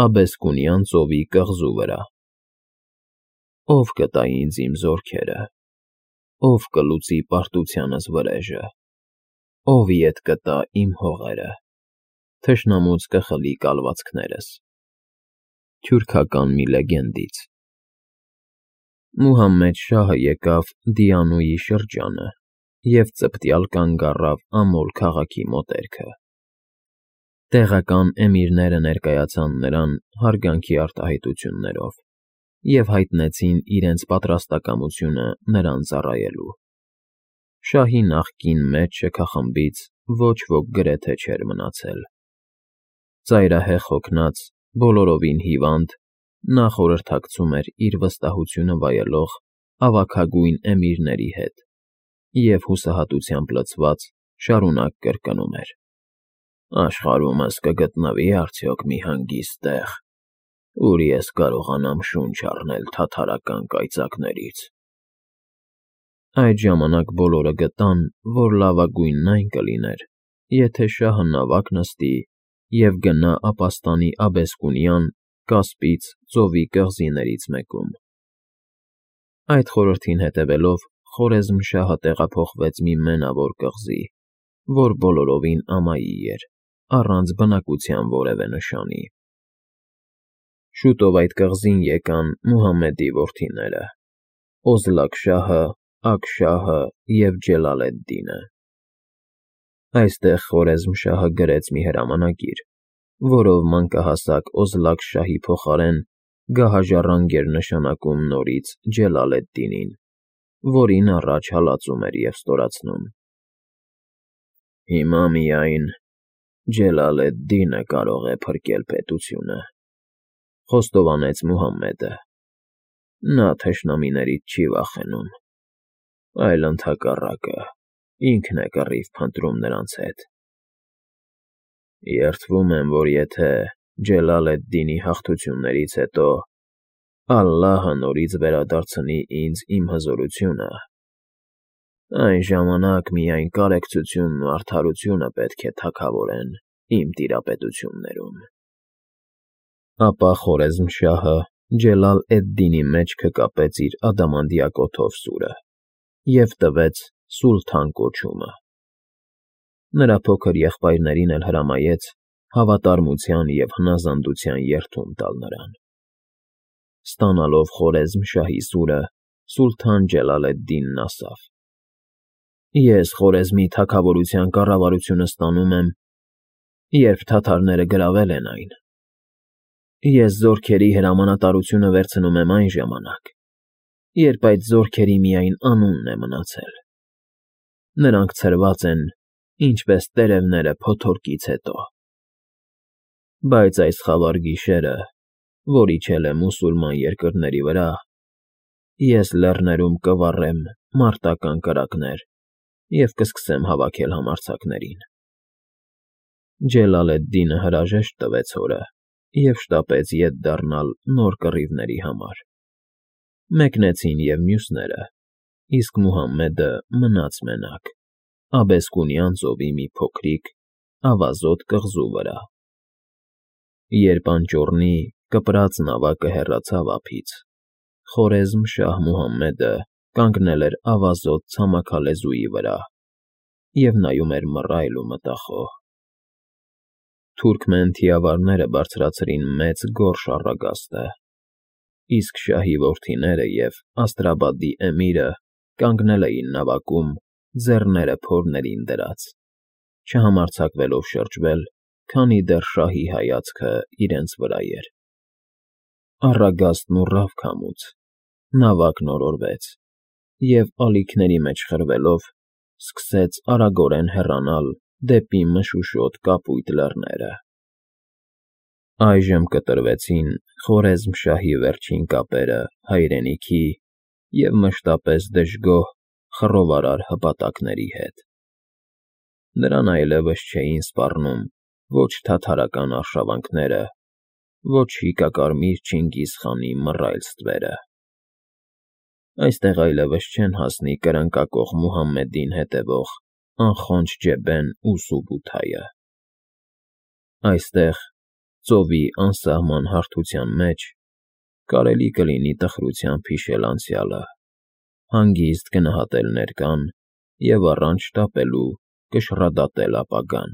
Աբեսկունյան ծովի կղզու վրա։ Ով կտա ինձ իմ զորքերը, ով կլուծի պարտությանս վրեժը, ով ետ կտա իմ հողերը, թշնամուց կխլի կալվածքներս։ Թյուրքական մի լեգենդից։ Մուհամմեդ շահը եկավ Դիանուի շրջանը և ծպտյալ կանգ առավ Ամոլ քաղաքի մոտերքը։ Տեղական էմիրները ներկայացան նրան հարգանքի արտահայտություններով և հայտնեցին իրենց պատրաստակամությունը նրան ծառայելու։ Շահի նախկին մեծ շքախմբից ոչ ոք գրեթե չէր մնացել։ Ծայրահեղ հոգնած, բոլորովին հիվանդ, նա խորհրդակցում էր իր վստահությունը վայելող ավագագույն էմիրների հետ և հուսահատությամբ լցված շարունակ կրկնում էր. «Աշխարհումս կգտնվի՞ արդյոք մի հանգիստ տեղ, ուր ես կարողանամ շունչ առնել թաթարական կայծակներից»։ Այդ ժամանակ բոլորը գտան, որ լավագույնն այն կլիներ, եթե շահը նավակ նստի և գնա ապաստանի Աբեսկունյան, Կասպից ծովի կղզիներից մեկում։ Այդ խորհրդին հետևելով Խորեզմշահը տեղափոխվեց մի մենավոր կղզի, որ բոլորովին ամայի էր, առանց բնակության որևէ նշանի։ Շուտով այդ կղզին եկան Մուհամմեդի որդիները՝ Օզլակ֊շահը, Ակ֊շահը և Ջելալ-էդ֊Դինը։ Այստեղ Խորեզմշահը գրեց մի հրամանագիր, որով մանկահասակ Օզլակ֊շահի փոխարեն գահաժառանգ էր նշանակում նորից Ջելալ֊էդ֊Դինին, որին առաջ հալածում էր և ստորացնում։ «Հիմա միայն Ջելալ֊էդ֊Դինը կարող է փրկել պետությունը», խոստովանեց Մուհամմեդը։ «Նա թշնամիներից չի վախենում, այլ ընդհակառակը, ինքն է կռիվ փնտրում նրանց հետ։ Երդվում եմ, որ եթե Ջելալ-էդ֊Դինի հաղթություններից հետո Ալլահը նորից վերադարձնի ինձ իմ հզորությունը, այն ժամանակ միայն կարեկցությունն ու արդարությունը պետք է թագավորեն իմ տիրապետություններում»։ Ապա Խորեզմշահը Ջելալ-էդ֊Դինի մեջքը կապեց իր ադամանդյա կոթով և տվեց Սուլթան կոչումը։ Նրա փոքր եղբայրներին էլ հրամայեց հավատարմության և հնազանդության երդում տալ նրան։ Ստանալով Խորեզմշահի սուրը, Սուլթան Ջելալ-էդ֊Դինն ասավ. «Ես Խորեզմի թագավորության կառավարությունը ստանում եմ, երբ թաթարները գրավել են այն։ Ես զորքերի հրամանատարությունը վերցնում եմ այն ժամանակ, երբ այդ զորքերի միայն անունն է մնացել։ Նրանք ցրված են, ինչպես տերևները փոթորկից հետո։ Բայց այս խավար գիշերը, որ իջել է մուսուլման երկրների վրա, ես լեռներում կվառեմ մարտական կրակներ և կսկսեմ հավաքել համարձակներին»։ Ջելալ-էդ֊Դինը հրաժեշտ տվեց հորը և շտապեց ետ դառնալ նոր կռիվների համար։ Մեկնեցին և մյուսները, իսկ Մուհամմեդը մնաց մենակ Աբեսկունյան ծովի մի փոքրիկ, ավազոտ կղզու վրա։ Երբ անճոռնի, կպրած նավակը հեռացավ ափից, Խորեզմշահ Մուհամմեդը կանգնել էր ավազոտ ցամաքալեզուի վրա և նայում էր մռայլ ու մտախոհ։ Թուրքմեն թիավարները բարձրացրին մեծ գորշ առագաստը, իսկ շահի որդիները և Աստրաբադի էմիրը կանգնել էին նավակում, ձեռները փորներին դրած, չհամարձակվելով շրջվել, քանի դեռ շահի հայացքը իրենց վրա էր։ Առագաստն ուռավ քամուց, նավակն օրորվեց և, ալիքների մեջ խրվելով, սկսեց արագորեն հեռանալ դեպի մշուշոտ կապույտ լեռները։ Այժմ կտրվեցին Խորեզմշահի վերջին կապերը հայրենիքի և մշտապես դժգոհ, խռովարար հպատակների հետ։ Նրան այլևս չէին սպառնում ոչ թաթարական արշավանքները, ոչ հիկակարմիր Չինգիզ֊խանի մռայլ ստվերը։ Այստեղ այլևս չեն հասնի կրնկակոխ Մուհամմեդին հետևող անխոնջ Ջեբեն ու Սուբութայը։ Այստեղ ծովի անսահման հարթության մեջ, կարելի կլինի տխրությամբ հիշել անցյալը, հանգիստ գնահատել ներկան և առանց շտապելու կշռադատել ապագան։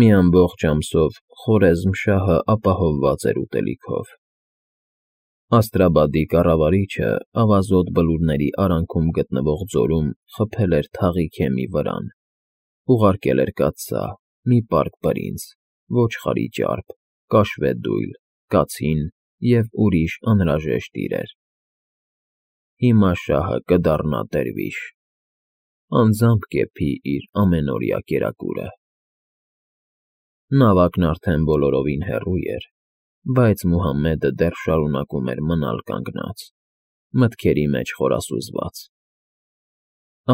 Մի ամբողջ ամսով Խորեզմ շահը ապահովված էր ուտելիքով։ Աստրաբադի կառավարիչը ավազոտ բլուրների արանքում գտնվող ձորում խփել էր թաղի քեմի վրան, ուղարկել էր կաթսա, մի պարկ բրինձ, ոչխարի ճարպ, կաշվե դույլ, կացին և ուրիշ անհրաժեշտ իրեր։ Հիմա շահը կդառնա դերվիշ, անձամբ կեփի իր ամենօրյա կերակուրը։ Նավակն արդեն բոլորովին հեռու էր, բայց Մուհամմեդը դեռ շարունակում էր մնալ կանգնած, մտքերի մեջ խորասուզված։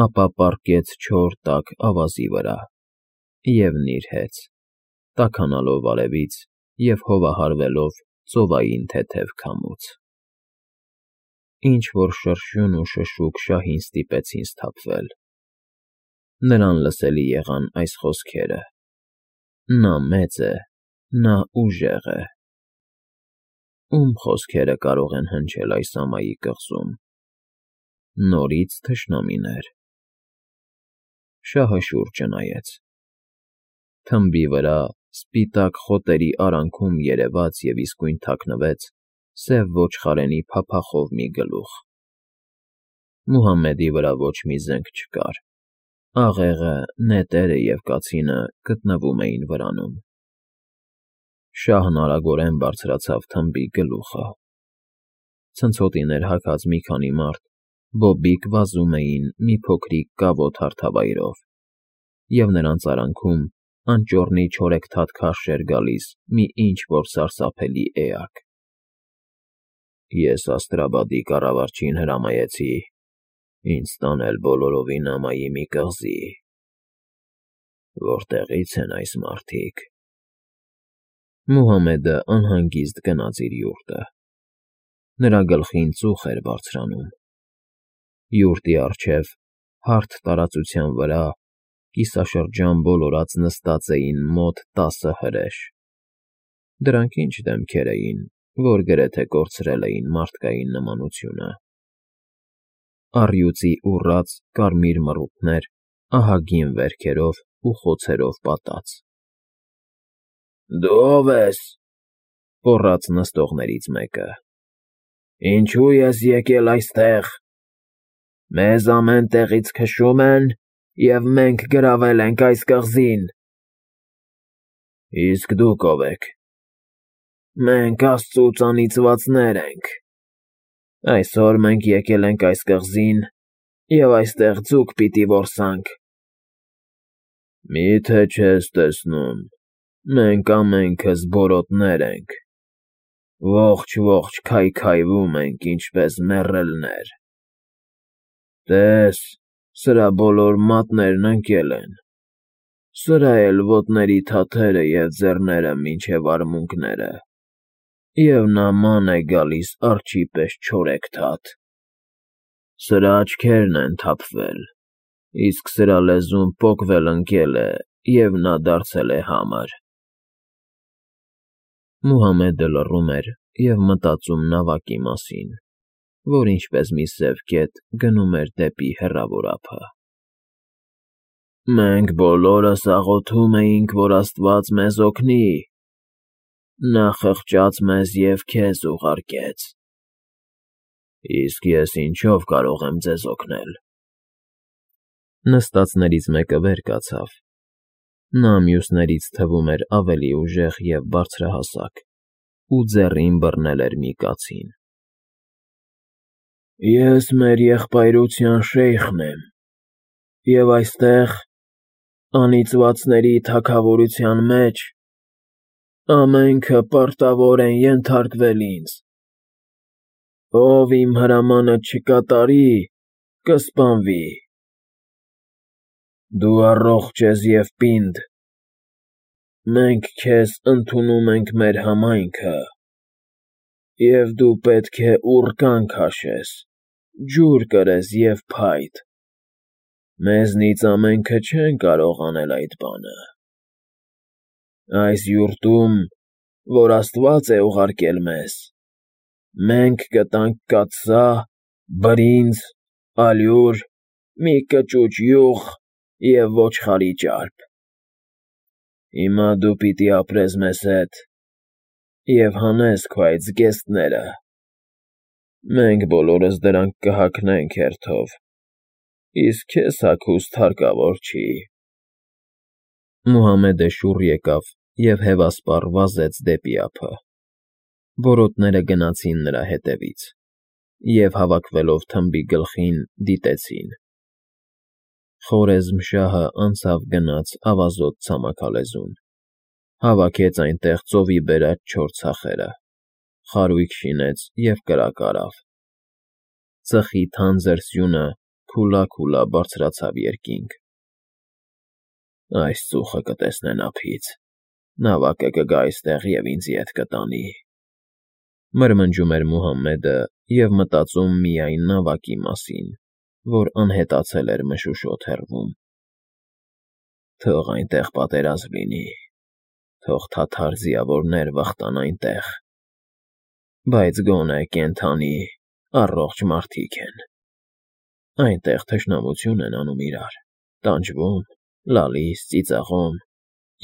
Ապա պառկեց չոր տաք ավազի վրա և նիրհեց, տաքանալով արևից և հովահարվելով ծովային թեթև քամուց։ Ինչ-որ շրշյուն ու շշուկ շահին ստիպեցին սթափվել։ Նրան լսելի եղան այս խոսքերը. «Նա մեծ է, նա ուժեղ է»։ Ում խոսքերը կարող են հնչել այս ամայի կղզում։ Նորից թշնամիներ։ Շահը շուրջը նայեց։ Թմբի վրա, սպիտակ խոտերի արանքում երևաց և իսկույն թաքնվեց սև ոչխարենի փափախով մի գլուխ։ Մուհամմեդի վրա ոչ մի զենք չկար, աղեղը, նետերը և կացինը գտնվում էին վրանում։ Շահն արագորեն բարձրացավ թմբի գլուխը։ Ցնցոտիներ հագած մի քանի մարդ բոբիկ վազում էին մի փոքրիկ կավոտ հարթավայրով, և նրանց արանքում անճոռնի չորեքթաթ քարշ էր գալիս մի ինչ֊որ սարսափելի էակ։ Ես Աստրաբադի կառավարչին հրամայեցի ինձ տանել բոլորովին ամայի մի կղզի։ Որտեղի՞ց են այս մարդիկ։ Մուհամմեդը անհանգիստ գնաց իր յուրտը։ Նրա գլխին ծուխ էր բարձրանում։ Յուրտի առջև, հարթ տարածության վրա, կիսաշրջան բոլորած նստած էին մոտ 10 հրեշ։ Դրանք ինչ դեմքեր էին, որ գրեթե կորցրել էին մարդկային նմանությունը։ Առյուծի ուռած կարմիր մռութներ ահագին վերքերով ու խոցերով պատած։ «Դու ո՞վ ես», գոռաց նստողներից մեկը։ «Ինչու ես եկել այստեղ։ Մեզ ամեն տեղից քշում են, և մենք գրավել ենք այս կղզին»։ «Իսկ դուք ո՞վ եք»։ «Մենք Աստծուց անիծվածներ ենք։ Այսօր մենք եկել ենք այս կղզին և այստեղ ձուկ պիտի որսանք»։ «Մի՞թե չես տեսնում, մենք ամենքս բորոտներ ենք, ողջ քայքայվում ենք, ինչպես մեռելներ։ Տես, սրա բոլոր մատներն ընկել են, սրա էլ ոտների թաթերը և ձեռները մինչև արմունկները, և նման է գալիս արջի պես չորեքթաթ։ Սրա աչքերն են թափվել, իսկ սրա լեզուն պոկվել ընկել է, և նա դարձել է համր»։ Մուհամմեդը լռում էր և մտածում նավակի մասին, որ ինչպես մի սև կետ գնում էր դեպի հեռավոր ափը։ «Մենք բոլորս աղոթում էինք, որ Աստված մեզ օգնի։ Նա խղճաց մեզ և քեզ ուղարկեց։ Իսկ ես ինչով կարող եմ ձեզ օգնել»։ Նստածներից մեկը վեր կացավ։ Նա մյուսներից թվում էր ավելի ուժեղ և բարձրահասակ ու ձեռին բռնել էր մի կացին։ «Ես մեր եղբայրության շեյխն եմ, և այստեղ, անիծվածների թագավորության մեջ, ամենքը պարտավոր են ենթարկվել ինձ։ Ով իմ հրամանը չկատարի, կսպանվի։ Դու առողջ ես և պինդ։ Մենք քեզ ընդունում ենք մեր համայնքը, և դու պետք է ուռկան քաշես, ջուր կրես և փայտ։ Մեզնից ամենքը չեն կարող անել այդ բանը։ Այս յուրտում, որ Աստված է ուղարկել մեզ, մենք կտանք կաթսա, բրինձ, ալյուր, մի կճուճ յուղ և ոչխարի ճարպ։ Հիմա դու պիտի ապրես մեզ հետ և հանես քո այդ զգեստները, մենք բոլորս դրանք կհագնենք հերթով, իսկ քեզ հագուստ հարկավոր չի։ Մուհամեդը շուռ եկավ և հևասպառ վազեց դեպի ափը։ Բորոտները գնացին նրա հետևից և, հավաքվելով թմբի գլխին, դիտեցին։ Խորեզմշահը անցավ գնաց ավազոտ ցամաքալեզուն, հավաքեց այնտեղ ծովի բերած չոր ցախերը, խարույկ շինեց և կրակ արավ։ Ծխի թանձր սյունը քուլա բարձրացավ երկինք։ Այս ծուխը կտեսնեն ափից, նավակը կգա այստեղ և ինձ ետ կտանի, մրմնջում էր Մուհամեդը և մտածում միայն նավակի մասին, որ անհետացել էր մշուշոտ հեռվում։ Թող այնտեղ պատերազմ լինի, թող թաթար ձիավորներ վխտան այնտեղ, բայց գոնե կենդանի, առողջ մարդիկ են։ Այնտեղ թշնամություն են անում իրար, տանջվում, լալիս, ծիծաղում,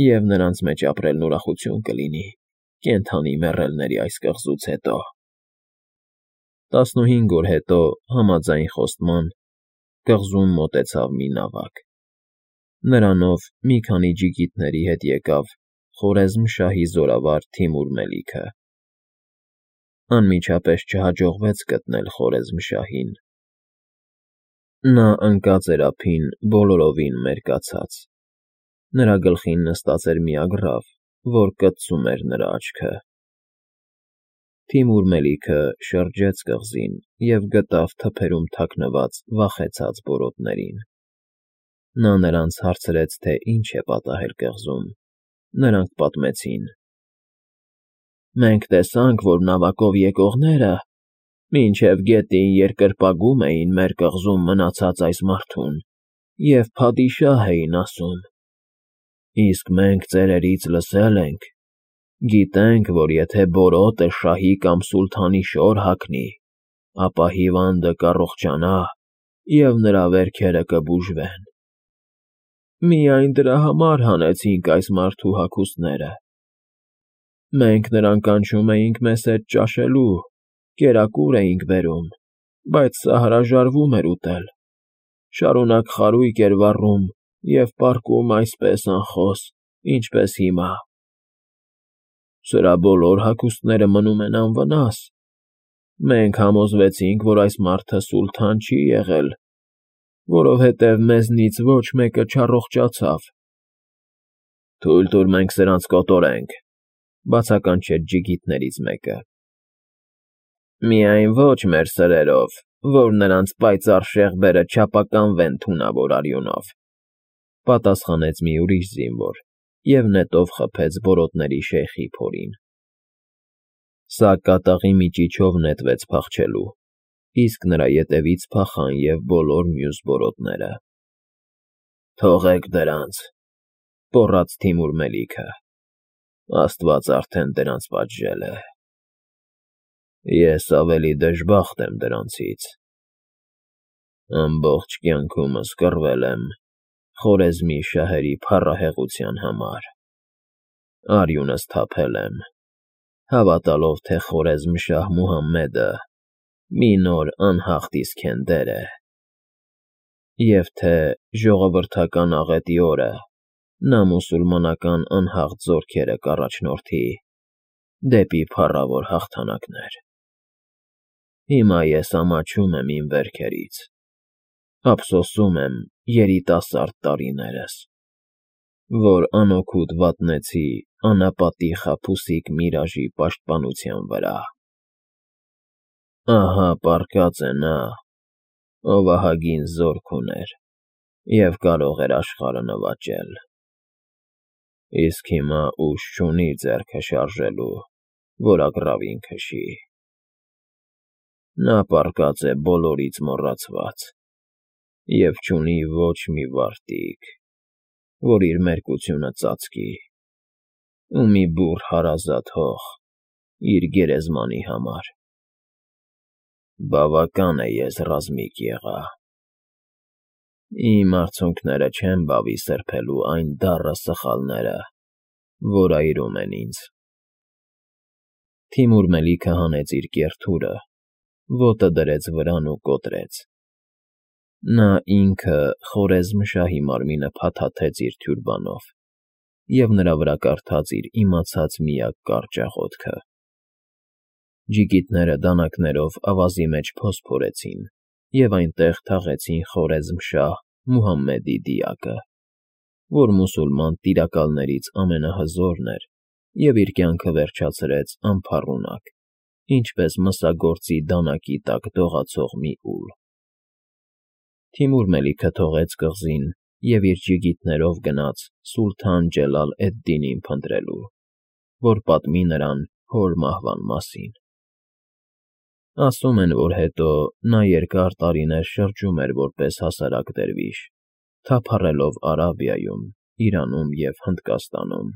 և նրանց մեջ ապրելն ուրախություն կլինի կենդանի մեռելների այս կղզուց հետո։ 15 օր հետո, համաձայն խոստման, կղզուն մոտեցավ մի նավակ։ Նրանով մի քանի ջիգիտների հետ եկավ Խորեզմշահի զորավար Թիմուր Մելիքը։ Անմիջապես չհաջողվեց գտնել Խորեզմշահին։ Նա ընկած էր ափին բոլորովին մերկացած։ Նրա գլխին նստած էր մի ագռավ, որ կծում էր նրա աչքը։ Թիմուր Մելիքը շրջեց կղզին և գտավ թփերում թաքնված վախեցած բորոտներին։ Նա նրանց հարցրեց, թե ինչ է պատահել կղզում։ Նրանք պատմեցին. Մենք տեսանք, որ նավակով եկողները մինչև գետին երկրպագում էին մեր կղզում մնացած այս մարդուն և փադիշահ էին ասում։ Իսկ մենք ծերերից լսել ենք, գիտենք, որ եթե բորոտը շահի կամ սուլթանի շոր հագնի, ապա հիվանդը կառողջանա և նրա վերքերը կբուժվեն։ Միայն դրա համար հանեցինք այս մարդու հագուստները։ Մենք նրան կանչում էինք մեզ հետ ճաշելու, կերակուր էինք բերում, բայց սա հրաժարվում էր ուտել, շարունակ խարույկ էր վառում և պառկում այսպես անխոս, ինչպես հիմա։ Սրա բոլոր հագուստները մնում են անվնաս։ Մենք համոզվեցինք, որ այս մարդը սուլթան չի եղել, որովհետև մեզնից ոչ մեկը չառողջացավ։ Թույլ տուր մենք սրանց կոտորենք, բացականչեց ջիգիտներից մեկը։ Միայն ոչ մեր սրերով, որ նրանց պայծառ շեղբերը չափականվեն թունավոր արյունով, պատասխանեց մի ուրիշ զինվոր և նետով խփեց բորոտների շեյխի փորին։ Սա կատաղի միջիչով նետվեց փախչելու, իսկ նրա ետևից փախան և բոլոր մյուս բորոտները։ Թողեք դրանց, պոռաց Թիմուր Մելիքը, Աստված արդեն դրանց պատժել է։ Ես ավելի դժբախտ եմ դրանցից։ Ամբողջ կյանքումս կռվել եմ Խորեզմի շահերի փառահեղության համար։ Արյունս թափել եմ, հավատալով, թե Խորեզմշահ Մուհամմեդը մի նոր անհաղթ Իսքենդեր է, և թե ժողովրդական աղետի օրը նա մուսուլմանական անհաղթ զորքերը կառաջնորդի դեպի փառավոր հաղթանակներ։ Հիմա ես ամաչում եմ իմ վերքերից, ափսոսում եմ երիտասարդ տարիներս, որ անօգուտ վատնեցի անապատի խաբուսիկ Միրաժի պաշտպանության վրա։ Ահա պառկած է նա, ով ահագին զորք ուներ և կարող էր աշխարհը նվաճել, իսկ հիմա ուժ չունի ձեռքը շարժելու, որ ագռավին քշի։ Նա պառկած է բոլորից մոռացված և չունի ոչ մի վարտիք, որ իր մերկությունը ծածկի։ ու մի բուռ հարազատ հող իր գերեզմանի համար։ Բավական է ես ռազմիկ եղա։ Իմ արցունքները չեն բավի սրբելու այն դառը սխալները, որ այրում են ինձ։ Թիմուր Մելիքը հանեց իր կեռ թուրը, ոտը դրեց վրան ու կոտրեց։ Նա ինքը խորեզմշահի մարմինը փաթաթեց իր թյուրբանով և նրա վրա կարդաց իր իմացած միակ կարճ աղոթքը։ Ջիգիտները դանակներով ավազի մեջ փոս փորեցին և այնտեղ թաղեցին խորեզմշահ Մուհամմեդի դիակը, որ մուսուլման տիրակալներից ամենահզորն էր և իր կյանքը վերջացրեց անփառունակ, ինչպես մսագործի դանակի տակ դողացող մի ուլ։ Թիմուր Մելիքը թողեց կղզին և իր ջիգիտներով գնաց Սուլթան Ջելալ էդ֊Դինին փնտրելու, որ պատմի նրան հոր մահվան մասին։ Ասում են, որ հետո նա երկար տարիներ շրջում էր որպես հասարակ դերվիշ, թափառելով Արաբիայում, Իրանում և Հնդկաստանում։